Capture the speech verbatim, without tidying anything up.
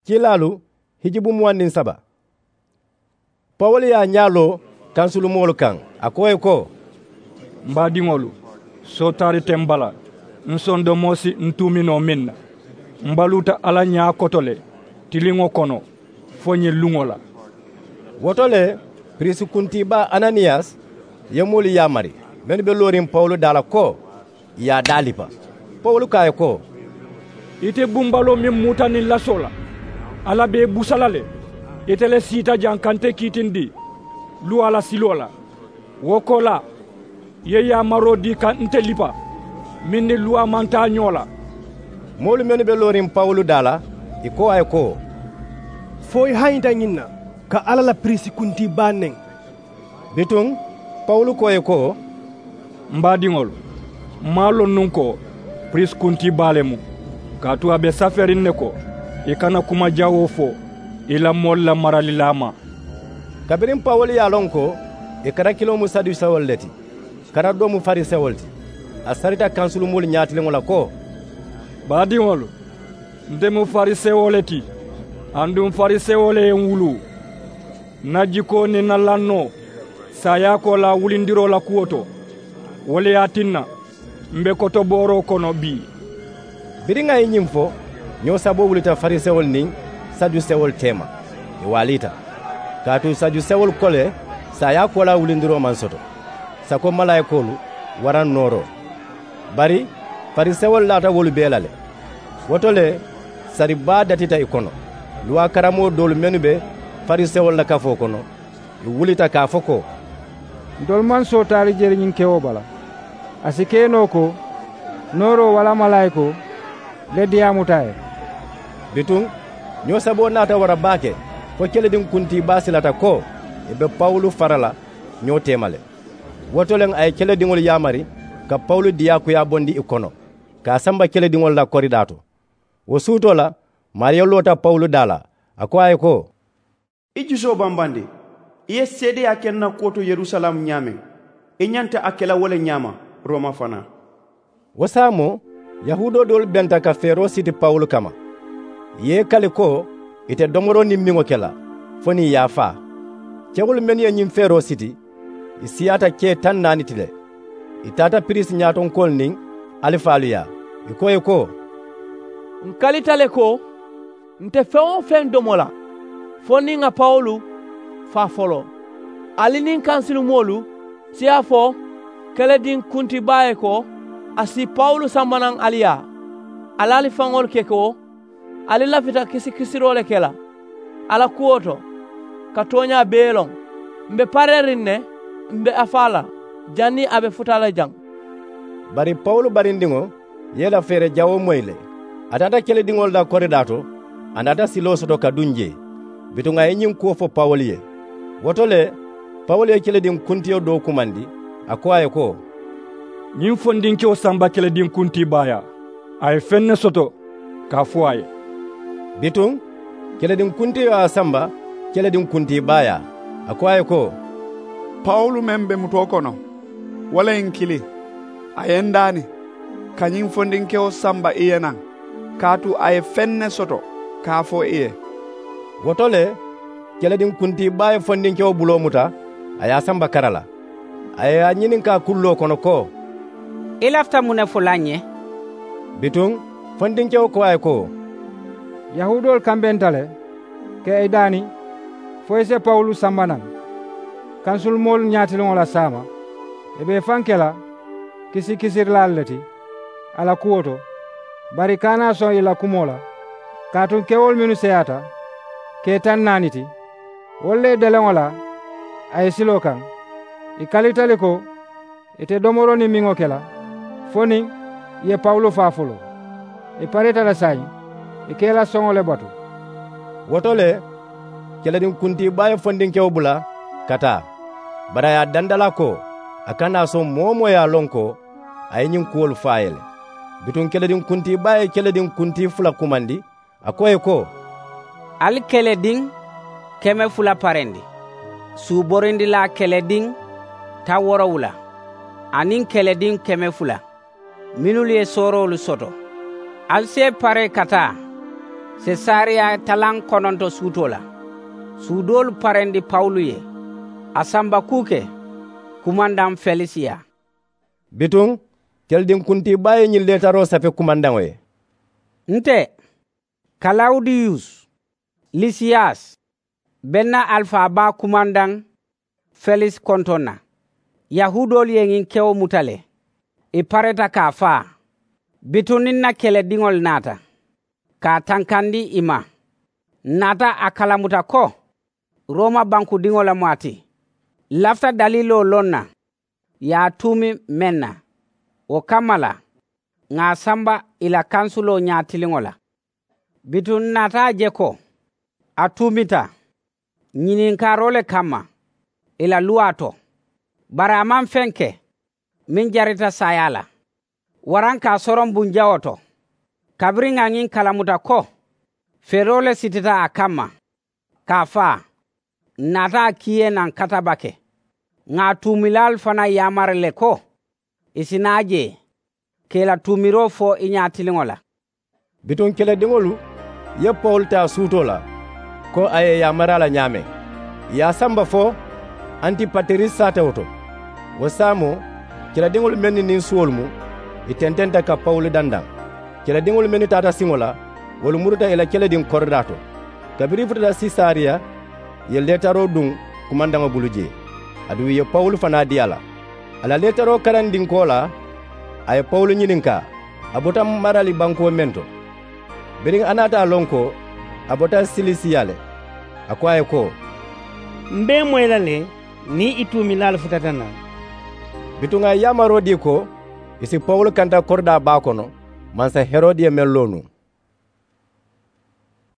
Kiilaalu hijubu muwaŋ niŋ saba. Pawulu ye a ñaa loo kansulumoolu kaŋ, a ko ì ye ko, m baadiŋolu, sootaari te m bala. M sondomoo si n tuuminoo meŋ na, m baluuta alla ñaa koto le tiliŋo kono fo ñiŋ luŋo la. Wo to le, piriisi kuntiibaa ananiyasi ye moolu yaamari mennu be looriŋ pawulu daa la ko ì ye a daalippa. Pawulu ko a ye ko, ite bumbaloo meŋ muuta niŋ lasoo la, alla be i busa la le. Ite le siita jaŋ ka nte kiitindi luwaa la siloo la. Wo koolaa, i ye yaamaroo dii ka nte lippa meŋ niŋ luwaa maŋ taa ñoo la. Moolu mennu be looriŋ pawulu daa la, ì ko a ye ko, fo i hañita ñiŋ na ka alla la piriisi kuntiibaa neŋ. Bituŋ pawulu ko ì ye ko, m baadiŋolu, m maŋ a loŋ nuŋ ko piriisi kuntiibaa le mu, kaatu a be safeeriŋ ne ko i kana kuma jawoo fo i la moolu la maralilaa ma. Kabiriŋ pawulu ye a loŋ ko ì karakiloo mu sadusewolu le ti, karadoo mu farisewolu ti, a sarita kansulumoolu ñaatiliŋo la ko, baadiŋolu, nte mu farisewoo le ti, aduŋ farisewoo le ye n wuluu. N na jikoo niŋ n na lannoo, saayaa koolaa wulindiroo la kuwo to, wo le ye a tinna m be kotobooroo kono bii. Biriŋ a ye ñiŋ fo, ñoo saboo wulita farisewolu niŋ sadusewolu teema, ì waaliita. Kaatu sadusewolu ko le, saayaa koolaa wulindiroo maŋ soto, sako malaayikoolu waraŋ nooroo. Bari farisewolu laata wolu bee la le. Wo to le, sari baa datita ì kono. Luwaa karammoo doolu mennu be farisewolu la kafoo kono, ì wulita ka a fo ko, ntolu maŋ sootaari jeri ñiŋ kewoo bala. A si ke noo ko nooroo walla malaayikoo le diyaamuta a ye. Bituŋ ñoo saboo naata wara baake, fo kelediŋ kuntiibaa silata ko ì be pawulu fara la ñoo teema le. Wo to le a ye kelediŋolu yaamari ka pawulu diyaakuyaa bondi ì kono, ka a samba kelediŋolu la koridaa to. Wo suutoo la, maariyo loota pawulu daa la, a ko a ye ko, i jusoo bambandi. I ye seedeyaa ke n na kuwo to yerusalaamu ñaameŋ, i ñanta a ke la wo le ñaama rooma fanaa. Wo saamoo, yahuudoo doolu benta ka feeroo siti pawulu kamma. Ì ye ì kali ko ì te domoroo niŋ miŋo ke la fo niŋ ì ye a faa. Kewolu mennu ye ñiŋ feeroo siti, ì siyaata kee taŋ naani ti le. Ì taata piriisi ñaatonkoolu niŋ alifaalu yaa, ì ko ì ye ko, n kalita le ko n te feŋ-wo-feŋ domo la fo niŋ ŋà pawulu faa foloo. Ali niŋ kansulumoolu si a fo kelediŋ kuntiibaa ye ko a si pawulu samba naŋ ali yaa. Ali ali faŋolu ke ko ali lafita kisikisiroo le ke la a la kuwo to, ka tooñaa bee loŋ. M be pareeriŋ ne m be a faa la janniŋ a be futa la jaŋ. Bari pawulu barindiŋo ye i la feere jawoo moyi le. A taata kelediŋolu la koridaa to, a naata siloo soto ka duŋ jee. Bituŋ a ye ñiŋ kuwo fo pawulu ye. Wo to le, pawulu ye kelediŋ kuntiyo doo kumandi, a ko a ye ko, ñiŋ fondinkewo samba kelediŋ kuntiibaa yaa. A ye feŋ ne soto ka a fo a ye. Bituŋ kelediŋ kuntiyo ye a samba kelediŋ kuntiibaa yaa, a ko a ye ko, pawulu meŋ be mutoo kono, wo le ye n kili. A ye n daani ka ñiŋ fondinkewo samba i ye naŋ, kaatu a ye feŋ ne soto ka a fo i ye. Wo to le, kelediŋ kuntiibaa ye fondinkewo buloo muta, a ye a samba kara la. A ye a ñininkaa kulloo kono ko, i lafita muŋ ne fo la ǹ ye? Bituŋ fondinkewo ko a ye ko, yahuudoolu kambenta le ka i daani fo i si pawulu samba naŋ kansulumoolu ñaatiliŋo la saama. I be i faŋ ke la kisikisirilaalu le ti a la kuwo to, bari i ka a naa soŋ i la kumoo la. Kaatu kewolu mennu seyaata ke taŋ naani ti, wolu le ye deleŋo laa a ye siloo kaŋ. I kalita le ko ì te domoroo niŋ miŋo ke la fo niŋ ì ye pawulu faa foloo. Ì pareeta le saayiŋ ì ka i la soŋo le batu. Wo to le, kelediŋ kuntiibaa ye fondinkewo bula ka taa, bari a ye a dandalaa ko a kana a soŋ moo-wo-moo ye a loŋ ko a ye ñiŋ kuwolu fo a ye le. Bituŋ kelediŋ kuntiibaa ye kelediŋ kuntii fula kumandi, a ko ì ye ko, ali kelediŋ keme fula parendi, suuborindilaa kelediŋ taŋ woorowula aniŋ kelediŋ keme fula mennu ye sooroolu soto. Ali si i paree ka taa Sesariya talaŋ kononto suutoo la. Suudoolu parendi pawulu ye. A samba kuu ke kumandaŋ felisi yaa. Bituŋ kelediŋ kuntii baa ye ñiŋ leetaroo safe kumandaŋo ye. Nte kalawudiyus, lisiyas, be n na alifaa baa kumandaŋ felisi kontoŋ na. Yahuudoolu ye ñiŋ kewo muta le. Ì pareta ka a faa. Bituŋ niŋ n na kelediŋolu naata ka a tankandi ì ma, ǹ naata a kalamuta ko rooma bankudiŋo lemu a ti. Ǹ lafita daliiloo loŋ na ì ye a tuumi meŋ na. Wo kamma la ŋà a samba ì la kansuloo ñaatiliŋo la. Bituŋ ǹ naata a je ko a tuumita ñininkaaroo le kamma ì la luwaa to. Bari a maŋ feŋ ke meŋ jarita saayaa la waraŋ ka a soroŋ bunjawoo to. Kabiriŋ ŋà ñiŋ kalamuta ko feeroo le sitita a kamma ka a faa, ǹ naata a kiiyee naŋ katabake. Ŋà a tuumilaalu fanaa yaamari le ko ì si naa jee ka ì la tuumiroo fo i ñaatiliŋo la. Bituŋ kelediŋolu ye pawulu taa suutoo la ko a ye ì yaamari a la ñaameŋ. Ì ye a samba fo antipatiris saatewo to. Wo saamoo kelediŋolu mennu niŋ suwolu mu, ì tententa ka pawulu dandaŋ. Kelediŋolu mennu taata siŋo la, wolu muruta ì la kelediŋ koridaa to. Kabiriŋ ì futata sesariya, ì ye leetaroo duŋ kumandaŋo bulu jee. Aduŋ ì ye pawulu fanaa dii a la. A la leetaroo karandiŋ koolaa, a ye pawulu ñininkaa a bota marali bankoo meŋ to. Biriŋ a naata a loŋ ko a bota silisiya le, a ko a ye ko, m be i moyi la le niŋ i tuumilaalu futata naŋ. Bituŋ a ye yaamaroo dii ko ì si pawulu kanta koridaa baa kono, mansa herodi ye meŋ loo nuŋ.